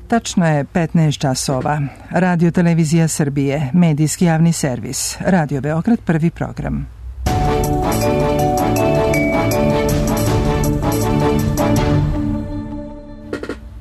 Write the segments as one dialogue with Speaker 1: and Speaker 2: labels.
Speaker 1: Tačno je 15 časova. Radio Televizija Srbije, medijski javni servis. Radio Beograd, prvi program.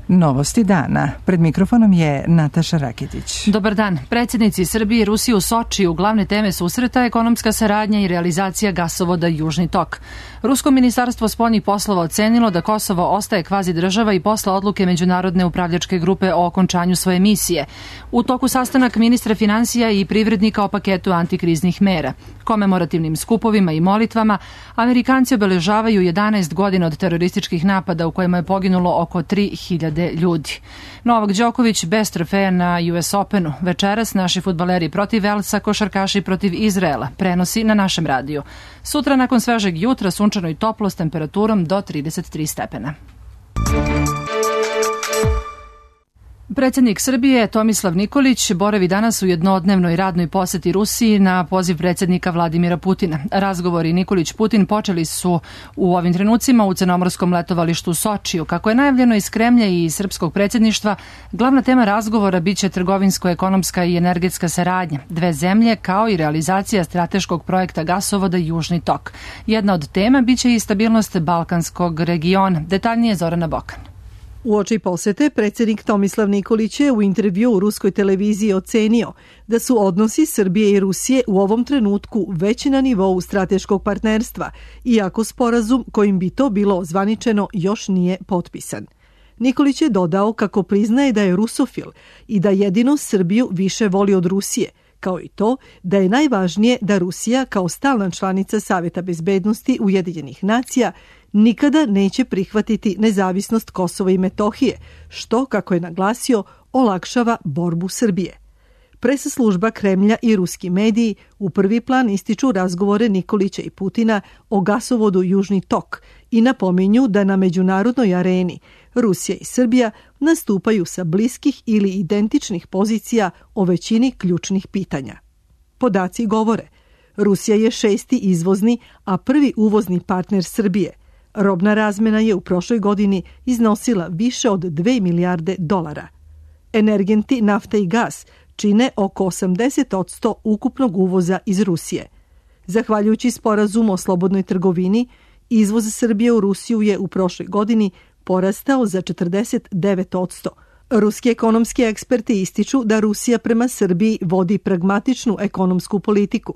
Speaker 1: Novosti dana. Pred mikrofonom je Nataša Raketić.
Speaker 2: Dobar dan. Predsjednici Srbije i Rusije u Sočiju glavne teme susreta ekonomska saradnja i realizacija gasovoda Južni tok. Rusko ministarstvo spoljnih poslova ocenilo da Kosovo ostaje kvazi država i posle odluke Međunarodne upravljačke grupe o okončanju svoje misije. U toku sastanak ministra finansija i privrednika o paketu antikriznih mera. Komemorativnim skupovima i molitvama Amerikanci obeležavaju 11 godina od terorističkih napada u kojima je poginulo oko 3000 ljudi. Novak Đoković bez trofeja na US Openu. Večeras naši fudbaleri protiv Velsa, košarkaši protiv Izraela. Prenosi na našem radiju. Sutra nakon svežeg jutra sunčano i toplo s temperaturom do 33 stepena. Predsjednik Srbije Tomislav Nikolić boravi danas u jednodnevnoj radnoj poseti Rusiji na poziv predsjednika Vladimira Putina. Razgovori Nikolić-Putin počeli su u ovim trenucima u crnomorskom letovalištu Sočiju. Kako je najavljeno iz Kremlja i srpskog predsjedništva, glavna tema razgovora biće trgovinsko-ekonomska i energetska saradnja dve zemlje kao i realizacija strateškog projekta gasovoda Južni tok. Jedna od tema biće i stabilnost balkanskog regiona. Detaljnije Zorana Bokan.
Speaker 3: Uoči posete, predsjednik Tomislav Nikolić je u intervju u ruskoj televiziji ocenio da su odnosi Srbije i Rusije u ovom trenutku već na nivou strateškog partnerstva, iako sporazum kojim bi to bilo ozvaničeno još nije potpisan. Nikolić je dodao kako priznaje da je rusofil i da jedino Srbiju više voli od Rusije, kao i to da je najvažnije da Rusija kao stalna članica Saveta bezbednosti Ujedinjenih nacija nikada neće prihvatiti nezavisnost Kosova i Metohije, što, kako je naglasio, olakšava borbu Srbije. Presa služba Kremlja i ruski mediji u prvi plan ističu razgovore Nikolića i Putina o gasovodu Južni tok i napominju da na međunarodnoj areni Rusija i Srbija nastupaju sa bliskih ili identičnih pozicija o većini ključnih pitanja. Podaci govore, Rusija je 6. izvozni, a prvi uvozni partner Srbije. Robna razmena je u prošloj godini iznosila više od 2 milijarde dolara. Energenti, nafta i gas čine oko 80% ukupnog uvoza iz Rusije. Zahvaljujući sporazumu o slobodnoj trgovini, izvoz Srbije u Rusiju je u prošloj godini porastao za 49%. Ruski ekonomski eksperti ističu da Rusija prema Srbiji vodi pragmatičnu ekonomsku politiku.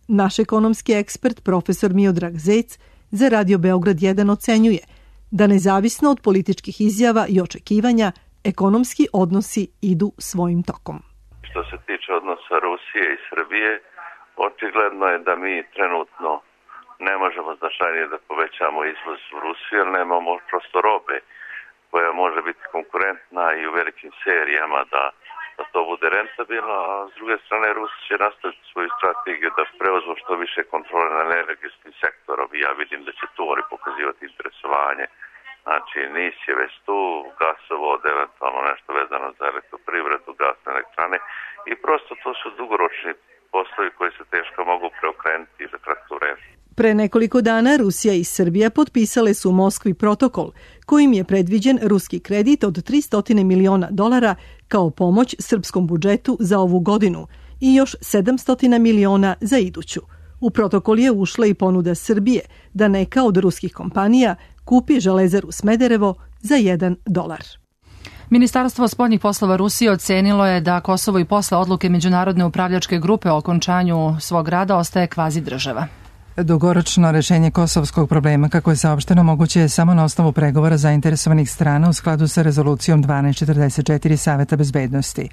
Speaker 3: Naš ekonomski ekspert, profesor Miodrag Zec, za Radio Beograd 1 ocenjuje da nezavisno od političkih izjava i očekivanja, ekonomski odnosi idu svojim tokom.
Speaker 4: Što se tiče odnosa Rusije i Srbije, očigledno je da mi trenutno ne možemo značajnije da povećamo izvoz u Rusiju, jer nemamo prosto robe koja može biti konkurentna i u velikim serijama da to bude rentabilno, a s druge strane Rusi će nastaviti svoju strategiju da preuzmu što više kontrole na energetskim sektorom i ja vidim da će tu oni pokazivati interesovanje. Znači, NIS je već tu, gasovod, eventualno nešto vezano za elektroprivredu, gasne elektrane i prosto to su dugoročni poslovi koji se teško mogu preokrenuti za kratko vreme.
Speaker 3: Pre nekoliko dana Rusija i Srbija potpisale su u Moskvi protokol kojim je predviđen ruski kredit od $300 miliona kao pomoć srpskom budžetu za ovu godinu i još 700 miliona za iduću. U protokol je ušla i ponuda Srbije da neka od ruskih kompanija kupi Železaru Smederevo za $1.
Speaker 2: Ministarstvo spoljnih poslova Rusije ocenilo je da Kosovo i posle odluke Međunarodne upravljačke grupe o okončanju svog rada ostaje kvazi država.
Speaker 1: Dugoročno rešenje kosovskog problema, kako je saopšteno, moguće je samo na osnovu pregovora zainteresovanih strana u skladu sa rezolucijom 1244 Saveta bezbednosti.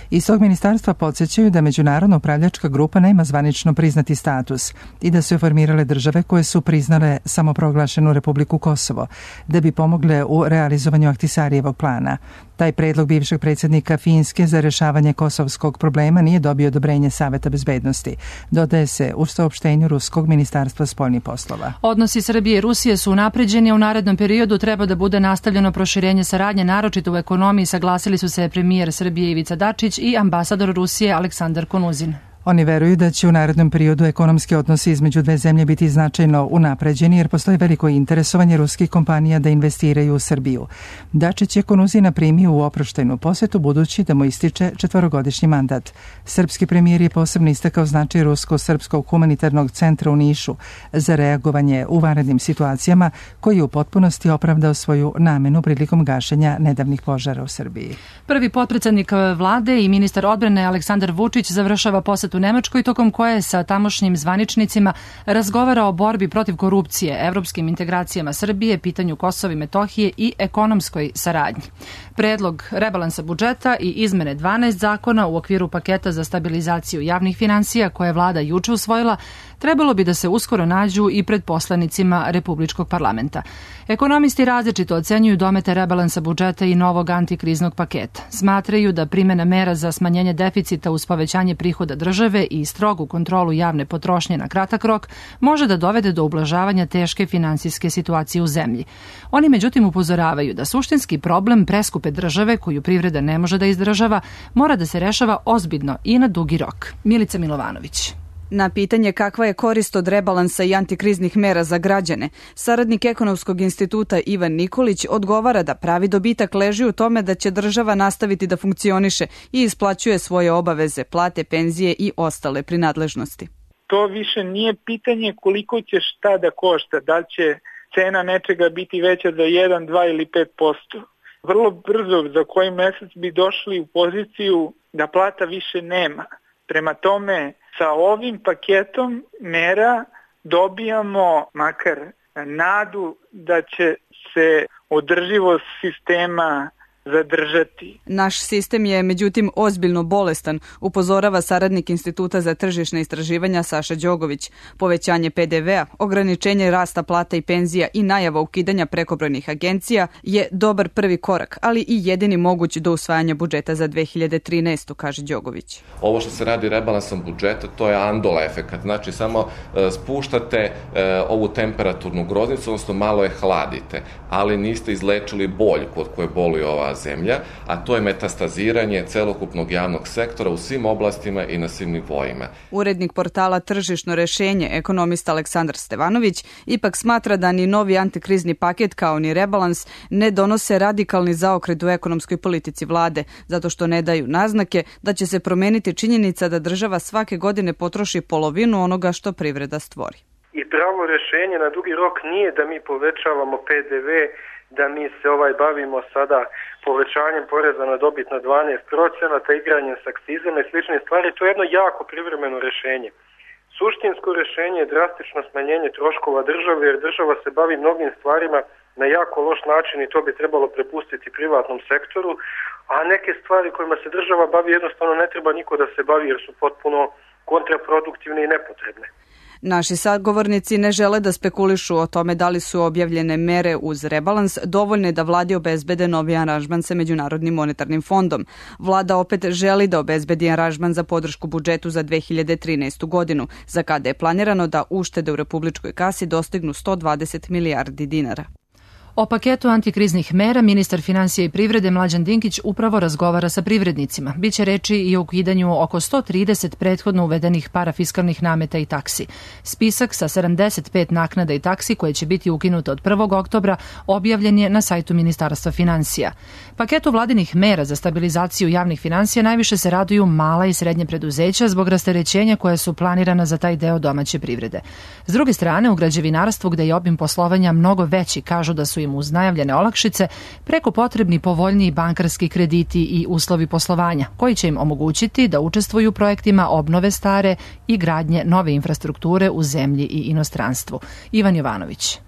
Speaker 1: Iz tog ministarstva podsjećaju da Međunarodna upravljačka grupa nema zvanično priznati status i da su je formirale države koje su priznale samoproglašenu Republiku Kosovo, da bi pomogle u realizovanju Ahtisarijevog plana. Taj predlog bivšeg predsjednika Finske za rešavanje kosovskog problema nije dobio odobrenje Saveta bezbednosti, dodaje se u saopštenju ruskog ministarstva spoljnih poslova.
Speaker 2: Odnosi Srbije i Rusije su unapređeni, a u narednom periodu treba da bude nastavljeno proširenje saradnje, naročito u ekonomiji, saglasili su se premijer Srbije Ivica Dačić i ambasador Rusije Aleksandar Konuzin.
Speaker 1: Oni veruju da će u narednom periodu ekonomski odnosi između dve zemlje biti značajno unapređeni jer postoji veliko interesovanje ruskih kompanija da investiraju u Srbiju. Dačić je Konuzina primio u oproštajnu posetu budući da mu ističe 4-godišnji mandat. Srpski premijer je posebno istakao značaj Rusko-srpskog humanitarnog centra u Nišu za reagovanje u vanrednim situacijama koji je u potpunosti opravdao svoju namenu prilikom gašenja nedavnih požara u Srbiji.
Speaker 2: Prvi potpredsednik vlade i ministar odbrane Aleksandar Vučić završava posetu u Nemačkoj tokom koje sa tamošnjim zvaničnicima razgovara o borbi protiv korupcije, evropskim integracijama Srbije, pitanju Kosova i Metohije i ekonomskoj saradnji. Predlog rebalansa budžeta i izmene 12 zakona u okviru paketa za stabilizaciju javnih finansija koje je vlada juče usvojila trebalo bi da se uskoro nađu i pred poslanicima Republičkog parlamenta. Ekonomisti različito ocenjuju domete rebalansa budžeta i novog antikriznog paketa. Smatraju da primjena mera za smanjenje deficita uz povećanje prihoda države i strogu kontrolu javne potrošnje na kratak rok može da dovede do ublažavanja teške finansijske situacije u zemlji. Oni međutim upozoravaju da suštinski problem preskupe države koju privreda ne može da izdržava mora da se rešava ozbiljno i na dugi rok. Milica Milovanović.
Speaker 5: Na pitanje kakva je korist od rebalansa i antikriznih mera za građane, saradnik Ekonomskog instituta Ivan Nikolić odgovara da pravi dobitak leži u tome da će država nastaviti da funkcioniše i isplaćuje svoje obaveze, plate, penzije i ostale prinadležnosti.
Speaker 6: To više nije pitanje koliko će šta da košta, da li će cena nečega biti veća za 1, 2 ili 5%. Vrlo brzo za koji mesec bi došli u poziciju da plata više nema. Prema tome, sa ovim paketom mera dobijamo makar nadu da će se održivost sistema zadržati.
Speaker 5: Naš sistem je međutim ozbiljno bolestan, upozorava saradnik Instituta za tržišne istraživanja Saša Đogović. Povećanje PDV-a, ograničenje rasta plata i penzija i najava ukidanja prekobrojnih agencija je dobar prvi korak, ali i jedini moguć do usvajanja budžeta za 2013. kaže Đogović.
Speaker 7: Ovo što se radi rebalansom budžeta, to je andola efekat. Znači samo spuštate ovu temperaturnu groznicu, odnosno malo je hladite, ali niste izlečili bolj kod koje boli ova zemlja, a to je metastaziranje celokupnog javnog sektora u svim oblastima i na svim nivoima.
Speaker 5: Urednik portala Tržišno rešenje, ekonomista Aleksandar Stevanović, ipak smatra da ni novi antikrizni paket kao ni rebalans ne donose radikalni zaokret u ekonomskoj politici vlade, zato što ne daju naznake da će se promeniti činjenica da država svake godine potroši polovinu onoga što privreda stvori.
Speaker 8: I pravo rešenje na dugi rok nije da mi povećavamo PDV, da mi se bavimo sada povećanjem poreza na dobit na 12%, igranjem s akcizama i slične stvari. To je jedno jako privremeno rešenje. Suštinsko rešenje je drastično smanjenje troškova države, jer država se bavi mnogim stvarima na jako loš način i to bi trebalo prepustiti privatnom sektoru, a neke stvari kojima se država bavi jednostavno ne treba niko da se bavi jer su potpuno kontraproduktivne i nepotrebne.
Speaker 5: Naši sagovornici ne žele da spekulišu o tome da li su objavljene mere uz rebalans dovoljne da vladi obezbede novi aranžman sa Međunarodnim monetarnim fondom. Vlada opet želi da obezbedi aranžman za podršku budžetu za 2013. godinu, za kada je planirano da uštede u republičkoj kasi dostignu 120 milijardi dinara.
Speaker 2: O paketu antikriznih mera ministar finansija i privrede Mlađan Dinkić upravo razgovara sa privrednicima. Biće reči i o ukidanju oko 130 prethodno uvedenih parafiskalnih nameta i taksi. Spisak sa 75 naknada i taksi koje će biti ukinute od 1. oktobra objavljen je na sajtu Ministarstva finansija. Paketu vladinih mera za stabilizaciju javnih finansija najviše se raduju mala i srednje preduzeća zbog rasterećenja koja su planirana za taj deo domaće privrede. S druge strane, u građevinarstvu gde je obim poslovanja mnogo veći, kažu da su im uz najavljene olakšice preko potrebni povoljniji bankarski krediti i uslovi poslovanja, koji će im omogućiti da učestvuju u projektima obnove stare i gradnje nove infrastrukture u zemlji i inostranstvu. Ivan Jovanović.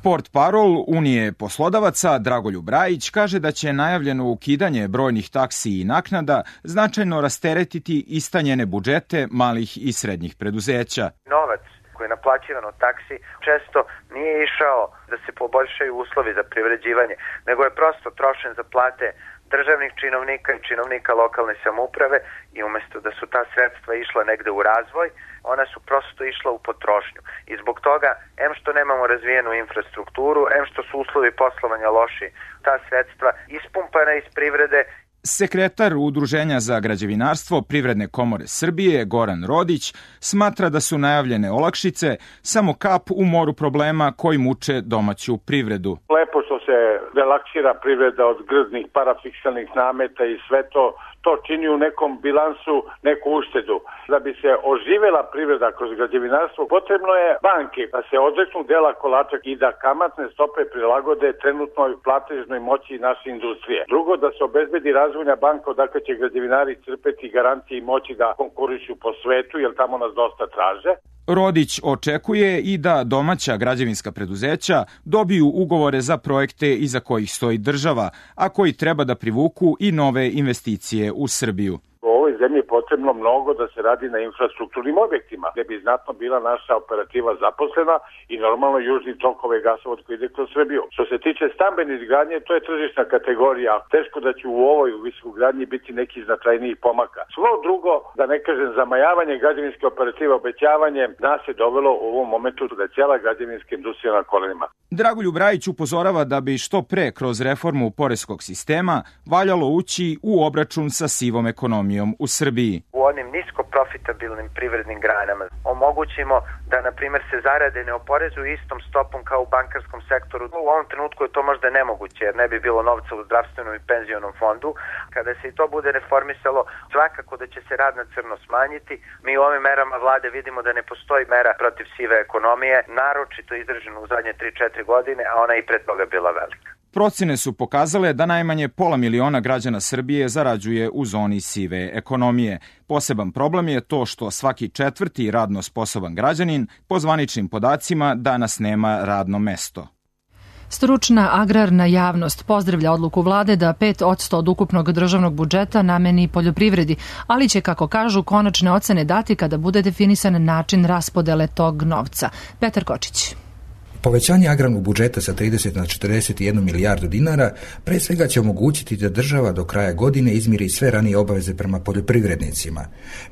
Speaker 9: Portparol Unije poslodavaca Dragoljub Rajić kaže da će najavljeno ukidanje brojnih taksi i naknada značajno rasteretiti istanjene budžete malih i srednjih preduzeća.
Speaker 10: Novac koji je naplaćivan od taksi često nije išao da se poboljšaju uslovi za privređivanje, nego je prosto trošen za plate državnih činovnika i činovnika lokalne samouprave i umjesto da su ta sredstva išla negde u razvoj, ona su prosto išla u potrošnju. I zbog toga, em što nemamo razvijenu infrastrukturu, em što su uslovi poslovanja loši, ta sredstva ispumpana iz privrede
Speaker 9: Sekretar Udruženja za građevinarstvo Privredne komore Srbije, Goran Rodić, smatra da su najavljene olakšice samo kap u moru problema koji muče domaću privredu.
Speaker 11: Lepo što se relaksira privreda od grdnih parafiksalnih nameta i sve to čini u nekom bilansu neku uštedu. Da bi se oživela privreda kroz građevinarstvo, potrebno je banke da se odreknu dela kolača i da kamatne stope prilagode trenutnoj platežnoj moći naše industrije. Drugo, da se obezbedi razvojna banka odakle će građevinari crpeti garancije i moći da konkurišu po svetu, jer tamo nas dosta traže.
Speaker 9: Rodić očekuje i da domaća građevinska preduzeća dobiju ugovore za projekte iza kojih stoji država, a koji treba da privuku i nove investicije u Srbiju.
Speaker 11: U ovoj zemlji je potrebno mnogo da se radi na infrastrukturnim objektima, gde bi znatno bila naša operativa zaposlena i normalno južni tok ove gasovod koji ide kroz Srbiju. Što se tiče stambene izgradnje, to je tržišna kategorija. Teško da će u ovoj visokogradnji biti neki značajnijih pomaka. Svo drugo, da ne kažem zamajavanje građevinske operative obećavanjem, nas je dovelo u ovom momentu da je cijela građevinska industrija na kolenima.
Speaker 9: Dragoljub Brajić upozorava da bi što pre kroz reformu poreskog sistema valjalo ući u obračun sa sivom ekonomijom u Srbiji.
Speaker 10: U onim nisko profitabilnim privrednim granama omogućimo da, na primjer, se zarade ne oporezuju istom stopom kao u bankarskom sektoru. U ovom trenutku je to možda nemoguće jer ne bi bilo novca u zdravstvenom i penzionom fondu. Kada se i to bude reformisalo, svakako da će se rad na crno smanjiti. Mi u ovim merama vlade vidimo da ne postoji mera protiv sive ekonomije, naročito izraženo u zadnje 3-4 godine, a ona i pred toga bila velika.
Speaker 9: Procene su pokazale da najmanje 500.000 građana Srbije zarađuje u zoni sive ekonomije. Poseban problem je to što svaki četvrti radno sposoban građanin po zvaničnim podacima danas nema radno mesto.
Speaker 2: Stručna agrarna javnost pozdravlja odluku vlade da 5% od ukupnog državnog budžeta nameni poljoprivredi, ali će, kako kažu, konačne ocene dati kada bude definisan način raspodele tog novca. Petar Kočić.
Speaker 12: Povećanje agrarnog budžeta sa 30 na 41 milijardu dinara pre svega će omogućiti da država do kraja godine izmiri sve ranije obaveze prema poljoprivrednicima.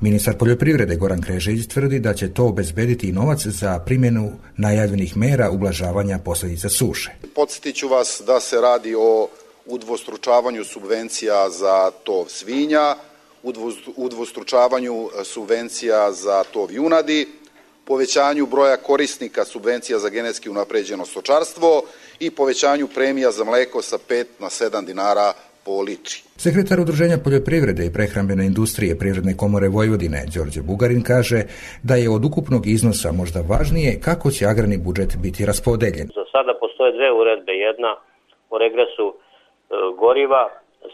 Speaker 12: Ministar poljoprivrede Goran Knežević tvrdi da će to obezbediti i novac za primjenu najavljenih mera ublažavanja posljedica suše.
Speaker 13: Podsjetiću vas da se radi o udvostručavanju subvencija za tov svinja, udvostručavanju subvencija za tov junadi, povećanju broja korisnika subvencija za genetski unapređeno stočarstvo i povećanju premija za mleko sa 5 na 7 dinara po litri.
Speaker 12: Sekretar Udruženja poljoprivrede i prehrambene industrije Privredne komore Vojvodine, Đorđe Bugarin, kaže da je od ukupnog iznosa možda važnije kako će agrarni budžet biti raspodeljen.
Speaker 14: Za sada postoje dve uredbe, jedna o regresu goriva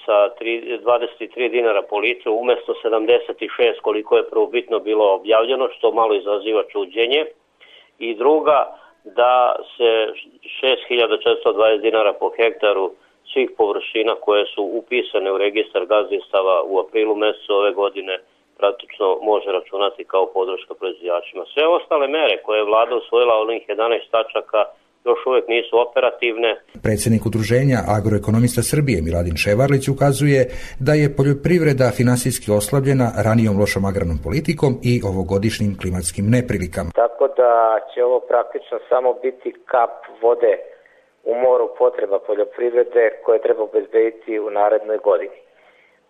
Speaker 14: sa 23 dinara po litru umesto 76 koliko je prvobitno bilo objavljeno, što malo izaziva čuđenje, i druga da se 6.420 dinara po hektaru svih površina koje su upisane u registar gazdinstava u aprilu mesecu ove godine praktično može računati kao podrška proizvođačima. Sve ostale mere koje je vlada usvojila onih 11 tačaka još uvijek nisu operativne.
Speaker 12: Predsjednik Udruženja agroekonomista Srbije Miladin Ševarlić ukazuje da je poljoprivreda finansijski oslabljena ranijom lošom agrarnom politikom i ovogodišnjim klimatskim neprilikama.
Speaker 15: Tako da će ovo praktično samo biti kap vode u moru potreba poljoprivrede koje treba obezbediti u narednoj godini.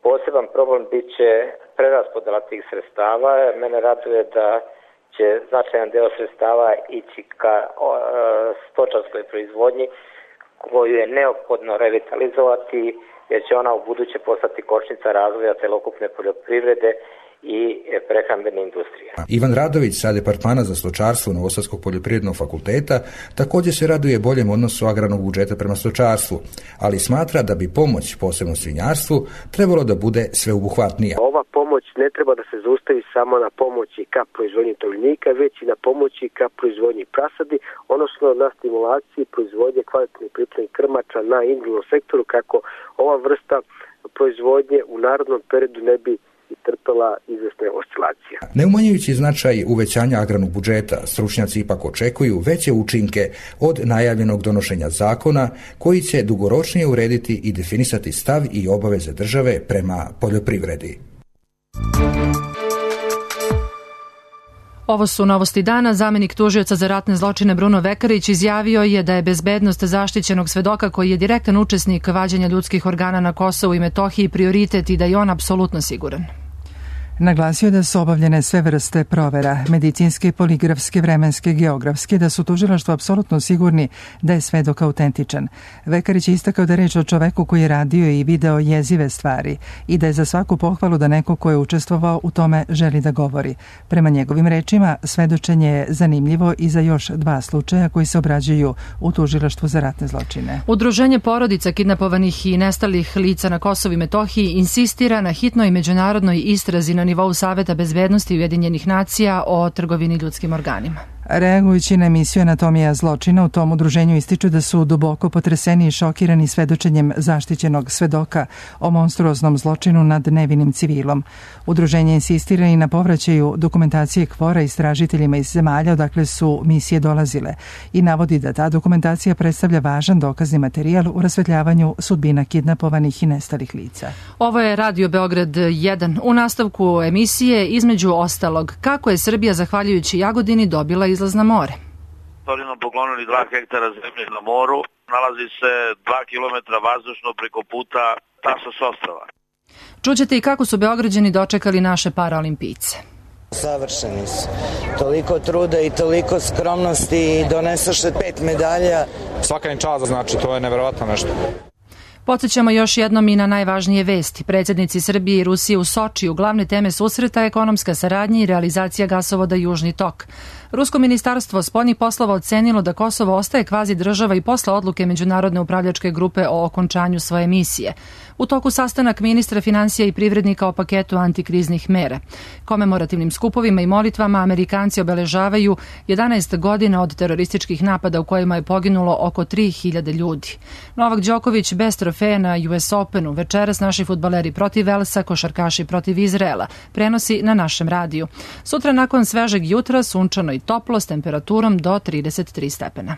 Speaker 15: Poseban problem bit će preraspodela tih sredstava. Mene raduje da će značajan deo sredstava ići ka stočarskoj proizvodnji koju je neophodno revitalizovati jer će ona u buduće postati kočnica razvoja celokupne poljoprivrede i prehrambene industrije.
Speaker 12: Ivan Radović sa departmana za stočarstvo Novosadskog poljoprivrednog fakulteta također se raduje boljem odnosu agrarnog budžeta prema stočarstvu, ali smatra da bi pomoć, posebno svinjarstvu, trebalo da bude sveobuhvatnija.
Speaker 16: Ova pomoć ne treba da se zaustavi samo na pomoći ka proizvodnji tovljenika, već i na pomoći ka proizvodnji prasadi, odnosno na stimulaciji proizvodnje kvalitetnih pripremnih krmača na individualnom sektoru, kako ova vrsta proizvodnje u narodnom periodu ne bi trpela izvesne oscilacije.
Speaker 12: Ne umanjujući značaj uvećanja agrarnog budžeta, stručnjaci ipak očekuju veće učinke od najavljenog donošenja zakona koji će dugoročnije urediti i definisati stav i obaveze države prema poljoprivredi.
Speaker 2: Ovo su novosti dana. Zamenik tužioca za ratne zločine Bruno Vekarić izjavio je da je bezbednost zaštićenog svedoka koji je direktan učesnik vađenja ljudskih organa na Kosovu i Metohiji prioritet i da je on apsolutno siguran.
Speaker 1: Naglasio da su obavljene sve vrste provera, medicinske, poligrafske, vremenske, geografske, da su tužilaštvo apsolutno sigurni da je svedok autentičan. Vekarić je istakao da je reč o čoveku koji je radio i video jezive stvari i da je za svaku pohvalu da neko ko je učestvovao u tome želi da govori. Prema njegovim rečima, svedočenje je zanimljivo i za još 2 slučaja koji se obrađuju u tužilaštvu za ratne zločine.
Speaker 2: Udruženje porodica kidnapovanih i nestalih lica na Kosovu i Metohiji insistira na hitnoj međunarodnoj istrazi na nivou Saveta bezbednosti Ujedinjenih nacija o trgovini ljudskim organima.
Speaker 1: Reagujući na emisiju Anatomija zločina, u tom udruženju ističu da su duboko potreseni i šokirani svedočenjem zaštićenog svedoka o monstruoznom zločinu nad nevinim civilom. Udruženje insistira i na povraćaju dokumentacije KFOR-a istražiteljima iz zemalja odakle su misije dolazile i navodi da ta dokumentacija predstavlja važan dokazni materijal u rasvetljavanju sudbina kidnapovanih i nestalih lica.
Speaker 2: Ovo je Radio Beograd 1. U nastavku emisije, između ostalog, kako je Srbija zahvaljujući Jagodini dobila izlaz na more.
Speaker 17: Oni nam poklonili 2 hektara zemlje na moru, nalazi se 2 kilometra vazdušno preko puta Tasos ostrava.
Speaker 2: Čućete i kako su Beograđani dočekali naše paraolimpijce.
Speaker 18: Savršeni su. Toliko truda i toliko skromnosti i donesaše 5 medalja.
Speaker 19: Svaka im čast, znači to je neverovatno nešto.
Speaker 2: Podsjećamo još jednom i na najvažnije vesti. Predsjednici Srbije i Rusije u Sočiju, glavne teme susreta, ekonomska saradnja i realizacija gasovoda Južni tok. Rusko ministarstvo spoljnih poslova ocenilo da Kosovo ostaje kvazi država i posle odluke Međunarodne upravljačke grupe o okončanju svoje misije. U toku sastanak ministra finansija i privrednika o paketu antikriznih mera. Komemorativnim skupovima i molitvama Amerikanci obeležavaju 11 godina od terorističkih napada u kojima je poginulo oko 3000 ljudi. Novak Đoković bez trofeja na US Openu, večeras naši fudbaleri protiv Velsa, košarkaši protiv Izraela, prenosi na našem radiju. Sutra nakon svežeg jutra sunčano i toplo s temperaturom do 33 stepena.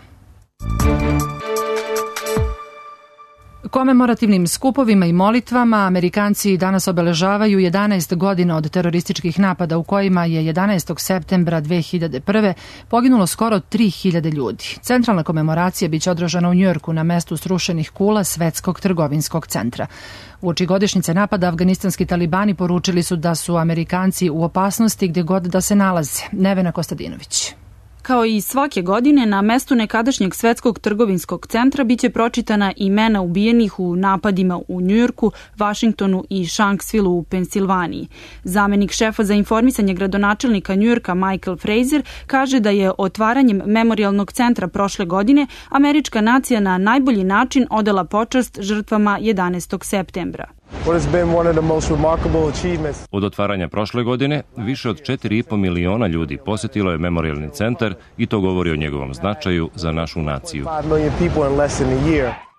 Speaker 2: Komemorativnim skupovima i molitvama Amerikanci danas obeležavaju 11 godina od terorističkih napada u kojima je 11. septembra 2001. poginulo skoro 3000 ljudi. Centralna komemoracija biće održana u Njujorku na mestu srušenih kula Svetskog trgovinskog centra. Uoči godišnjice napada afganistanski talibani poručili su da su Amerikanci u opasnosti gdje god da se nalaze. Nevena Kostadinović.
Speaker 20: Kao i svake godine, na mestu nekadašnjeg Svetskog trgovinskog centra biće pročitana imena ubijenih u napadima u Njujorku, Vašingtonu i Shanksvillu u Pensilvaniji. Zamenik šefa za informisanje gradonačelnika Njujorka Michael Fraser kaže da je otvaranjem memorijalnog centra prošle godine američka nacija na najbolji način odala počast žrtvama 11. septembra.
Speaker 21: Od otvaranja prošle godine, više od 4,5 miliona ljudi posjetilo je memorijalni centar i to govori o njegovom značaju za našu naciju.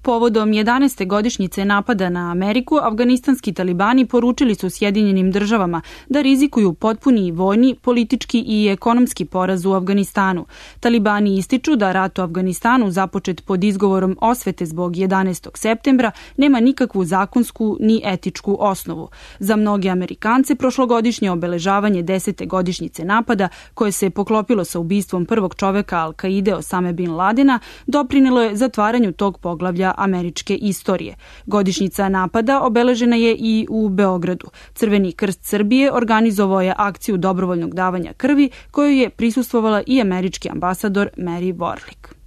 Speaker 20: Povodom 11. godišnjice napada na Ameriku, afganistanski talibani poručili su Sjedinjenim državama da rizikuju potpuni vojni, politički i ekonomski poraz u Afganistanu. Talibani ističu da rat u Afganistanu započet pod izgovorom osvete zbog 11. septembra nema nikakvu zakonsku ni etičku osnovu. Za mnoge Amerikance prošlogodišnje obeležavanje 10. godišnjice napada, koje se poklopilo sa ubistvom prvog čoveka Al-Kaide Osame bin Ladena, doprinelo je zatvaranju tog poglavlja američke istorije. Godišnjica napada obeležena je i u Beogradu. Crveni krst Srbije organizovao je akciju dobrovoljnog davanja krvi koju je prisustvovala i američki ambasador Mary Warlick.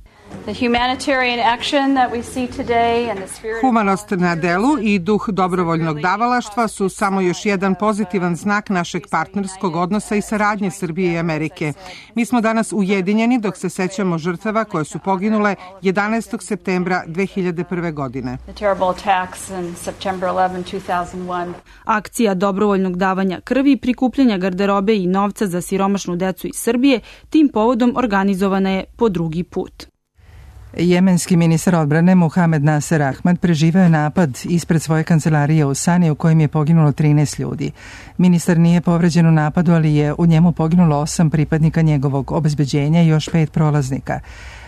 Speaker 22: Humanost na delu i duh dobrovoljnog davalaštva su samo još jedan pozitivan znak našeg partnerskog odnosa i saradnje Srbije i Amerike. Mi smo danas ujedinjeni dok se sećamo žrtava koje su poginule 11. septembra 2001. godine.
Speaker 20: Akcija dobrovoljnog davanja krvi, prikupljanja garderobe i novca za siromašnu decu iz Srbije tim povodom organizovana je po drugi put.
Speaker 1: Jemenski ministar odbrane Muhamed Nasser Ahmad preživeo je napad ispred svoje kancelarije u Sani u kojem je poginulo 13 ljudi. Ministar nije povređen u napadu, ali je u njemu poginulo 8 pripadnika njegovog obezbeđenja i još 5 prolaznika.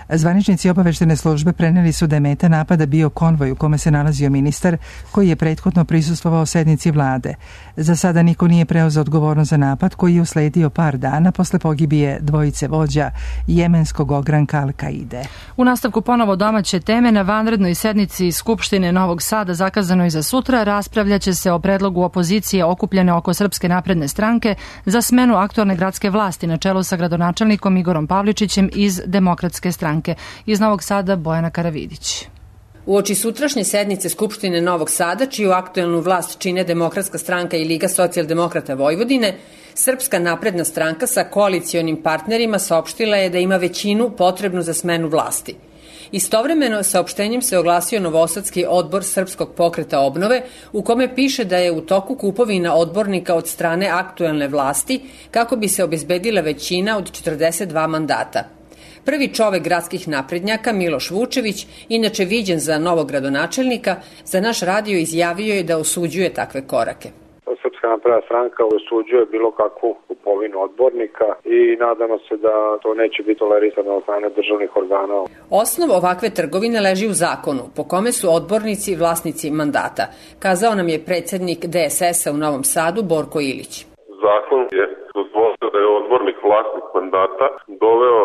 Speaker 1: Zvaničnici obaveštene službe preneli su da je meta napada bio konvoj u kome se nalazio ministar koji je prethodno prisustvovao sednici vlade. Za sada niko nije preuzeo odgovornost za napad koji je usledio par dana posle pogibije dvojice vođa jemenskog ogranka Al-Kaide.
Speaker 2: U nastavku ponovo domaće teme, na vanrednoj sednici Skupštine Novog Sada zakazanoj za sutra raspravljaće se o predlogu opozicije okupljene oko Srpske napredne stranke za smenu aktualne gradske vlasti na čelu sa gradonačelnikom Igorom Pavličićem iz Demokratske stranke. Iz Novog Sada Bojana Karavidić.
Speaker 3: Uoči sutrašnje sednice Skupštine Novog Sada, čiju aktuelnu vlast čine Demokratska stranka i Liga socijaldemokrata Vojvodine, Srpska napredna stranka sa koalicionim partnerima saopštila je da ima većinu potrebnu za smenu vlasti. Istovremeno, saopštenjem se oglasio Novosadski odbor Srpskog pokreta obnove, u kome piše da je u toku kupovina odbornika od strane aktuelne vlasti kako bi se obezbedila većina od 42 mandata. Prvi čovek gradskih naprednjaka, Miloš Vučević, inače viđen za novog gradonačelnika, za naš radio izjavio je da osuđuje takve korake.
Speaker 4: Srpska napredna stranka osuđuje bilo kakvu kupovinu odbornika i nadamo se da to neće biti tolerisano od strane državnih organa.
Speaker 3: Osnov ovakve trgovine leži u zakonu, po kome su odbornici vlasnici mandata, kazao nam je predsednik DSS-a u Novom Sadu Borko Ilić.
Speaker 23: Zakon je dozvolio da je odbornik vlasnik mandata, doveo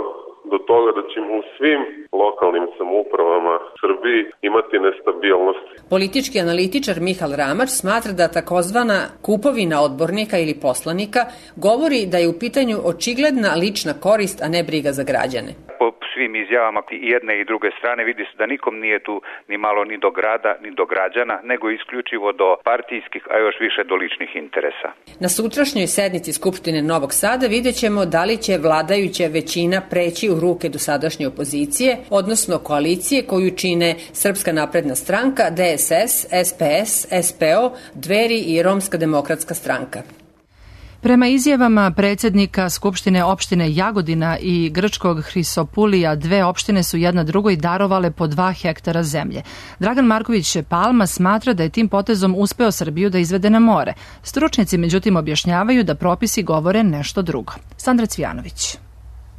Speaker 23: do toga da ćemo u svim lokalnim samoupravama Srbiji imati nestabilnost.
Speaker 3: Politički analitičar Mihal Ramač smatra da takozvana kupovina odbornika ili poslanika govori da je u pitanju očigledna lična korist, a ne briga za građane.
Speaker 24: Po svim izjavama i jedne i druge strane vidi se da nikom nije tu ni malo ni do grada, ni do građana, nego isključivo do partijskih, a još više do ličnih interesa.
Speaker 3: Na sutrašnjoj sednici Skupštine Novog Sada vidjet ćemo da li će vladajuća većina preći u ruke dosadašnje opozicije, odnosno koalicije koju čine Srpska napredna stranka, DSS, SPS, SPO, Dveri i Romska demokratska stranka.
Speaker 2: Prema izjavama predsednika Skupštine opštine Jagodina i grčkog Hrisopulija, dve opštine su jedna drugoj darovale po 2 hektara zemlje. Dragan Marković Palma smatra da je tim potezom uspeo Srbiju da izvede na more. Stručnjaci međutim objašnjavaju da propisi govore nešto drugo. Sandra Cvijanović.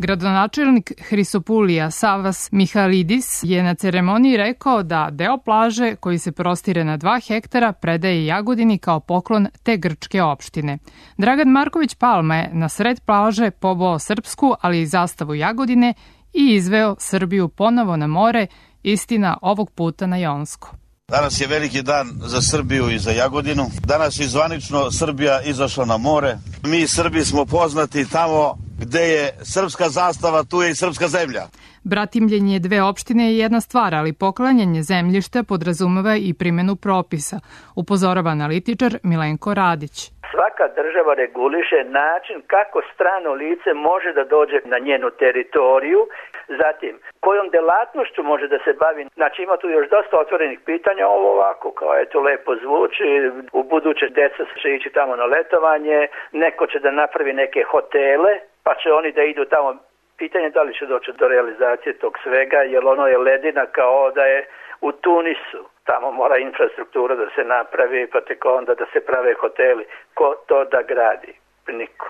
Speaker 25: Gradonačelnik Hrisopulija Savas Mihalidis je na ceremoniji rekao da deo plaže koji se prostire na 2 hektara predaje Jagodini kao poklon te grčke opštine. Dragan Marković Palma je na sred plaže poboo srpsku, ali i zastavu Jagodine i izveo Srbiju ponovo na more, istina ovog puta na Jonsko.
Speaker 26: Danas je veliki dan za Srbiju i za Jagodinu. Danas je zvanično Srbija izašla na more. Mi Srbi smo poznati tamo gde je srpska zastava, tu je i srpska zemlja.
Speaker 25: Bratimljenje dve opštine je jedna stvar, ali poklanjanje zemljišta podrazumeva i primjenu propisa, upozorava analitičar Milenko Radić.
Speaker 27: Svaka država reguliše način kako strano lice može da dođe na njenu teritoriju, zatim kojom delatnošću može da se bavi. Znači ima tu još dosta otvorenih pitanja, ovo ovako kao eto lepo zvuči, u buduće deca će ići tamo na letovanje, neko će da napravi neke hotele, pa će oni da idu tamo. Pitanje da li će doći do realizacije tog svega, jer ono je ledina kao da je u Tunisu. Tamo mora infrastruktura da se napravi, pa tek onda da se prave hoteli. Ko to da gradi? Niko.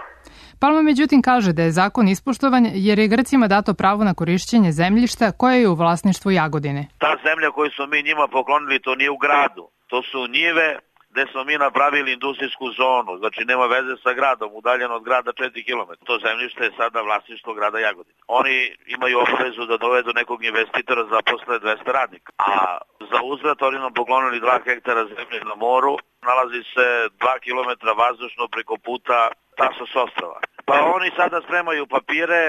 Speaker 25: Palma međutim kaže da je zakon ispoštovan jer je Grcima dato pravo na korišćenje zemljišta koje je u vlasništvu Jagodine.
Speaker 17: Ta zemlja koju smo mi njima poklonili, to nije u gradu. To su njive gde smo mi napravili industrijsku zonu, znači nema veze sa gradom, udaljeno od grada 4 km. To zemljište je sada vlasništvo grada Jagodine. Oni imaju obavezu da dovedu nekog investitora za posle 200 radnika, a za uzvrat oni nam poklonili 2 hektara zemlje na moru, nalazi se 2 km vazdušno preko puta Tasos ostrava. Pa oni sada spremaju papire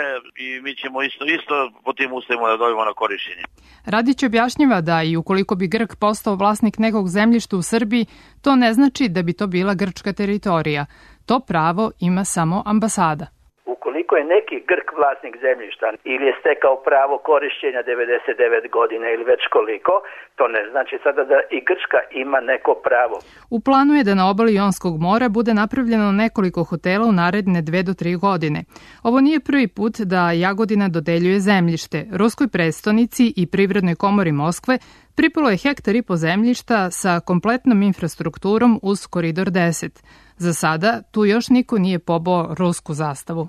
Speaker 17: i mi ćemo isto po tim uslovima da dobijemo na korišćenje.
Speaker 25: Radić objašnjava da i ukoliko bi Grk postao vlasnik nekog zemljišta u Srbiji, to ne znači da bi to bila grčka teritorija. To pravo ima samo ambasada.
Speaker 27: Ukoliko je neki Grk vlasnik zemljišta ili je stekao pravo korišćenja 99 godina ili već koliko, to ne znači sada da i Grčka ima neko pravo.
Speaker 25: U planu je da na obali Jonskog mora bude napravljeno nekoliko hotela u naredne 2 do 3 godine. Ovo nije prvi put da Jagodina dodeljuje zemljište. Ruskoj prestonici i Privrednoj komori Moskve pripalo je 1,5 hektara zemljišta sa kompletnom infrastrukturom uz Koridor 10. Za sada tu još niko nije poboo rusku zastavu.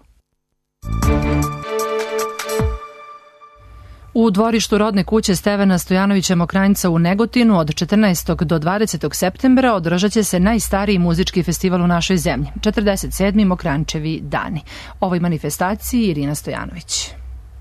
Speaker 2: U dvorištu rodne kuće Stevana Stojanovića Mokranjca u Negotinu od 14. do 20. septembra održat će se najstariji muzički festival u našoj zemlji, 47. Mokrančevi dani. Ovoj manifestaciji Irina Stojanović.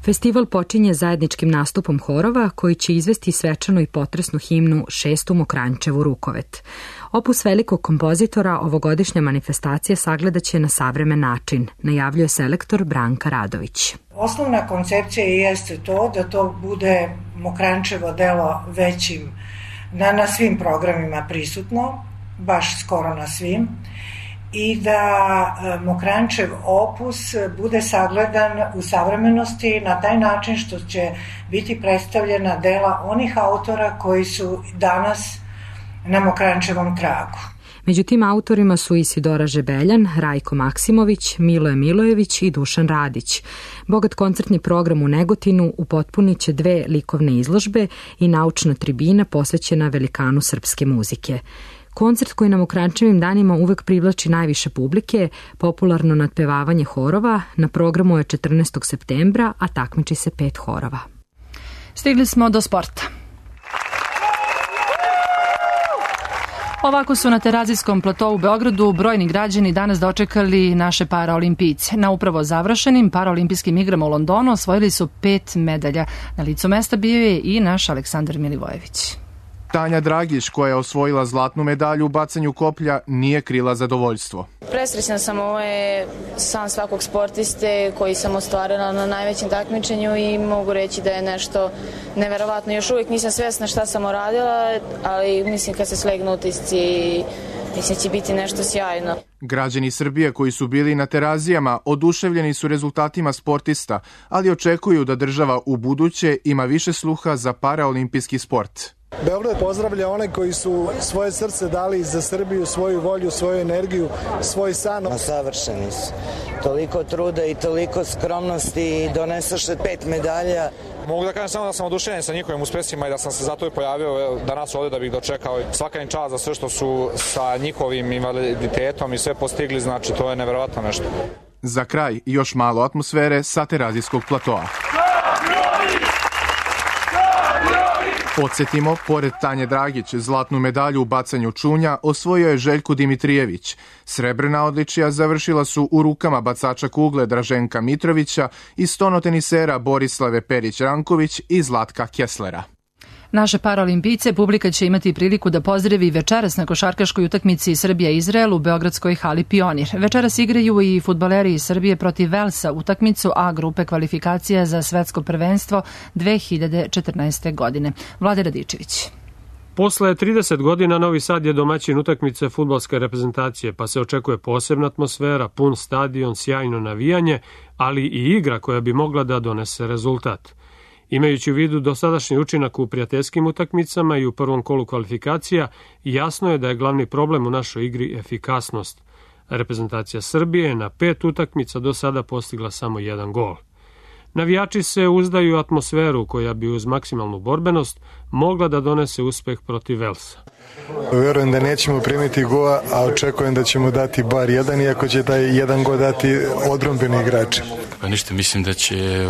Speaker 5: Festival počinje zajedničkim nastupom horova koji će izvesti svečanu i potresnu himnu 6. Mokrančevu Rukovet. Opus velikog kompozitora ovogodišnja manifestacija sagledaće na savremen način, najavljuje selektor Branka Radović.
Speaker 6: Osnovna koncepcija jeste to da to bude Mokrančevo delo većim, na svim programima prisutno, baš skoro na svim, i da Mokrančev opus bude sagledan u savremenosti na taj način što će biti predstavljena dela onih autora koji su danas na Mokrančevom tragu.
Speaker 5: Među tim autorima su Isidora Žebeljan, Rajko Maksimović, Miloje Milojević i Dušan Radić. Bogat koncertni program u Negotinu upotpunit će 2 likovne izložbe i naučna tribina posvećena velikanu srpske muzike. Koncert koji na Mokrančevim danima uvek privlači najviše publike, popularno nadpevavanje horova, na programu je 14. septembra, a takmiči se 5 horova.
Speaker 2: Stigli smo do sporta. Ovako su na Terazijskom platou u Beogradu brojni građani danas dočekali naše paraolimpijce. Na upravo završenim paraolimpijskim igrama u Londonu osvojili su 5 medalja. Na licu mesta bio je i naš Aleksandar Milivojević.
Speaker 7: Tanja Dragić, koja je osvojila zlatnu medalju u bacanju koplja, nije krila zadovoljstvo.
Speaker 8: Presrećna sam, ovo je san svakog sportiste koji sam ostvarila na najvećem takmičenju i mogu reći da je nešto neverovatno. Još uvijek nisam svjesna šta sam uradila, ali mislim kad se slegnu utisci, mislim će biti nešto sjajno.
Speaker 7: Građani Srbije koji su bili na Terazijama oduševljeni su rezultatima sportista, ali očekuju da država u buduće ima više sluha za paraolimpijski sport.
Speaker 9: Beograd pozdravlja one koji su svoje srce dali za Srbiju, svoju volju, svoju energiju, svoj san.
Speaker 18: Savršeni su. Toliko truda i toliko skromnosti i donesaše 5 medalja.
Speaker 19: Mogu da kažem samo da sam oduševljen sa njihovim uspesima i da sam se zato i pojavio danas ovdje da bih dočekao. Svaka im čast za sve što su sa njihovim invaliditetom i sve postigli, znači to je neverovatno nešto.
Speaker 7: Za kraj još malo atmosfere sa Terazijskog platoa. Podsjetimo, pored Tanje Dragić, zlatnu medalju u bacanju čunja osvojio je Željko Dimitrijević. Srebrna odličija završila su u rukama bacača kugle Draženka Mitrovića i stonotenisera Borislave Perić-Ranković i Zlatka Kesslera.
Speaker 2: Naše paraolimpijce publika će imati priliku da pozdravi večeras na košarkaškoj utakmici Srbija-Izrael u beogradskoj hali Pionir. Večeras igraju i fudbaleri iz Srbije protiv Velsa utakmicu A grupe kvalifikacija za svetsko prvenstvo 2014. godine. Vlade Radičević.
Speaker 10: Posle 30 godina Novi Sad je domaćin utakmice fudbalske reprezentacije, pa se očekuje posebna atmosfera, pun stadion, sjajno navijanje, ali i igra koja bi mogla da donese rezultat. Imajući u vidu dosadašnji učinak u prijateljskim utakmicama i u prvom kolu kvalifikacija, jasno je da je glavni problem u našoj igri efikasnost. Reprezentacija Srbije je na 5 utakmica do sada postigla samo 1 gol. Navijači se uzdaju u atmosferu koja bi uz maksimalnu borbenost mogla da donese uspeh protiv Velsa.
Speaker 9: Verujem da nećemo primiti gola, a očekujem da ćemo dati bar 1, iako će taj 1 gol dati odbrambeni igrači.
Speaker 11: Pa ništa, mislim da će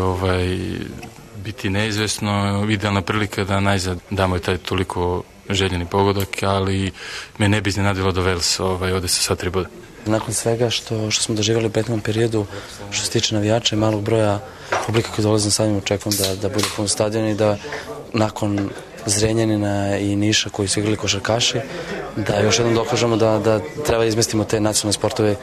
Speaker 11: biti neizvesno, idealna prilika da najzad damo i taj toliko željeni pogodak, ali me ne bi iznenadilo do Velsa ode sa 3 boda.
Speaker 28: Nakon svega što smo doživjeli u prethodnom periodu, što se tiče navijača i malog broja publika koji dolaze na stadion, očekujem da bude pun stadion i da nakon Zrenjanina i Niša koji su igrali košarkaši, da još jednom dokažemo da treba izmestimo te nacionalne sportove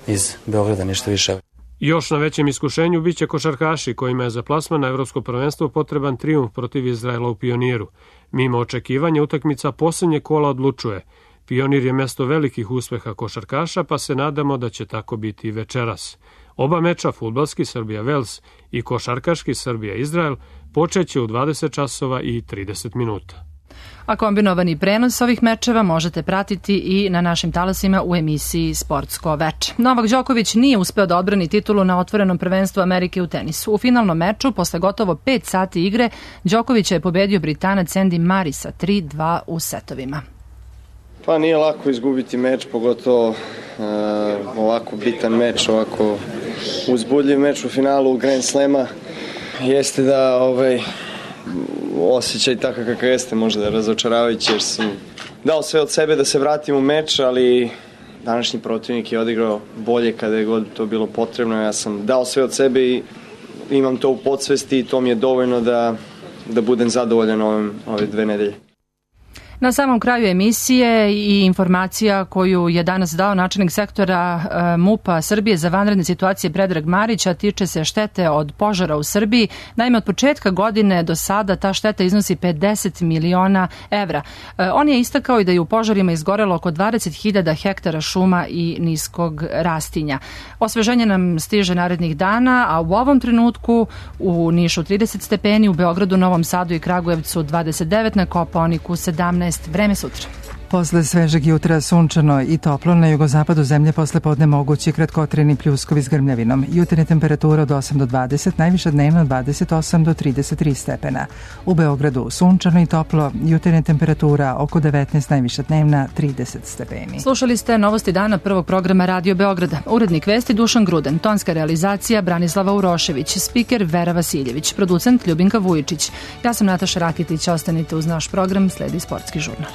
Speaker 28: iz Beograda, ništa više.
Speaker 10: Još na većem iskušenju biće košarkaši kojima je za plasman na Evropsko prvenstvo potreban trijumf protiv Izraela u Pioniru. Mimo očekivanja utakmica posljednje kola odlučuje. Pionir je mesto velikih uspeha košarkaša, pa se nadamo da će tako biti i večeras. Oba meča, fudbalski Srbija-Vels i košarkaški Srbija-Izrael, počeće u 20 časova i 30 minuta.
Speaker 2: A kombinovani prenos ovih mečeva možete pratiti i na našim talasima u emisiji Sportsko veče. Novak Đoković nije uspeo da odbrani titulu na otvorenom prvenstvu Amerike u tenisu. U finalnom meču, posle gotovo 5 sati igre, Đoković je pobedio Britanac Andy Murray sa 3-2 u setovima.
Speaker 29: Pa nije lako izgubiti meč, pogotovo ovako bitan meč, ovako uzbudljiv meč u finalu Grand Slema. Jeste da osjećaj takav kakav jeste, možda razočaravajući, jer sam dao sve od sebe da se vratim u meč, ali današnji protivnik je odigrao bolje kada je god to bilo potrebno. Ja sam dao sve od sebe i imam to u podsvesti i to mi je dovoljno da budem zadovoljan ove 2 nedelje.
Speaker 2: Na samom kraju emisije i informacija koju je danas dao načelnik sektora MUP-a Srbije za vanredne situacije Predrag Marić, a tiče se štete od požara u Srbiji. Naime, od početka godine do sada ta šteta iznosi 50 miliona evra. On je istakao i da je u požarima izgorelo oko 20.000 hektara šuma i niskog rastinja. Osveženje nam stiže narednih dana, a u ovom trenutku u Nišu 30 stepeni, u Beogradu, Novom Sadu i Kragujevcu 29, na Kopaoniku 17. Vreme sutra.
Speaker 1: Posle svežeg jutra sunčano i toplo, na jugozapadu zemlje posle podne mogući kratkotrajni pljuskovi s grmljavinom. Jutarnja temperatura od 8 do 20, najviša dnevna od 28 do 33 stepena. U Beogradu sunčano i toplo, jutarnja temperatura oko 19, najviša dnevna 30 stepeni.
Speaker 2: Slušali ste novosti dana prvog programa Radio Beograda. Urednik vesti Dušan Gruden, tonska realizacija Branislava Urošević, spiker Vera Vasiljević, producent Ljubinka Vujičić. Ja sam Nataša Rakitić, ostanite uz naš program, sledi sportski žurnal.